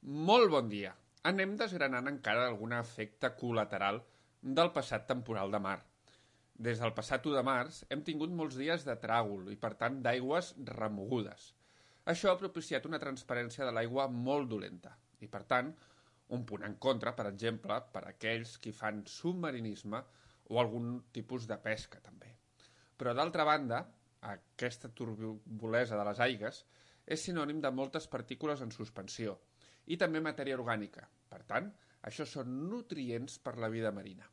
Molt bon dia. Anem desgranant encara algun efecte col·lateral del passat temporal de mar. Des del passat 1 de març hem tingut molts dies de tràgol i, per tant, d'aigües remogudes. Això ha propiciat una transparència de l'aigua molt dolenta i, per tant, un punt en contra, per exemple, per a aquells qui fan submarinisme o algun tipus de pesca, també. Però, d'altra banda, aquesta turbolesa de les aigues és sinònim de moltes partícules en suspensió i també matèria orgànica. Per tant, això són nutrients per la vida marina.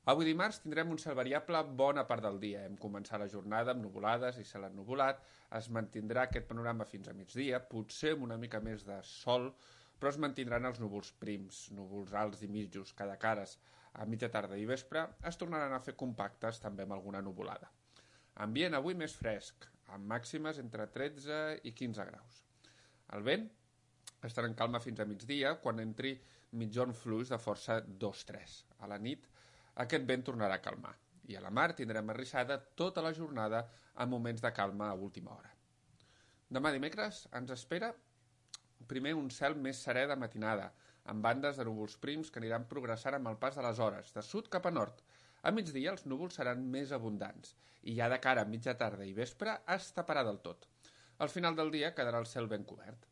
Avui dimarts tindrem un cel variable bona part del dia. Hem començat la jornada amb nuvolades i cel ennuvolat. Es mantindrà aquest panorama fins a migdia, potser amb una mica més de sol, però es mantindran els núvols prims, núvols alts i mitjos, cada cares a mitja tarda i vespre, es tornaran a fer compactes també amb alguna nuvolada. Ambient avui més fresc, amb màximes entre 13 i 15 graus. El vent estarà en calma fins a migdia, quan entri mitjon fluix de força 2-3. A la nit, aquest vent tornarà a calmar. I a la mar tindrem arrissada tota la jornada amb moments de calma a última hora. Demà dimecres ens espera primer un cel més serè de matinada, amb bandes de núvols prims que aniran progressant amb el pas de les hores, de sud cap a nord. A migdia els núvols seran més abundants i ja de cara a mitja tarda i vespre es taparà del tot. Al final del dia quedarà el cel ben cobert.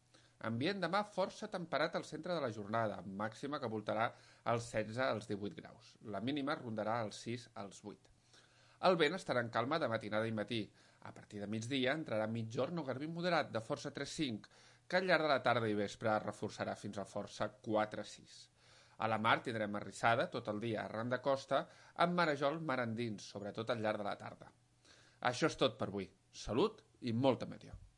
Ambient demà força temperat al centre de la jornada, amb màxima que voltarà als 16 als 18 graus. La mínima rondarà als 6 als 8. El vent estarà en calma de matinada i matí. A partir de migdia entrarà mitjorn o garbí moderat de força 3-5, que al llarg de la tarda i vespre es reforçarà fins a força 4-6. A la mar tindrem arrissada tot el dia arran de costa, amb marejol mar endins, sobretot al llarg de la tarda. Això és tot per avui. Salut i molta meteor.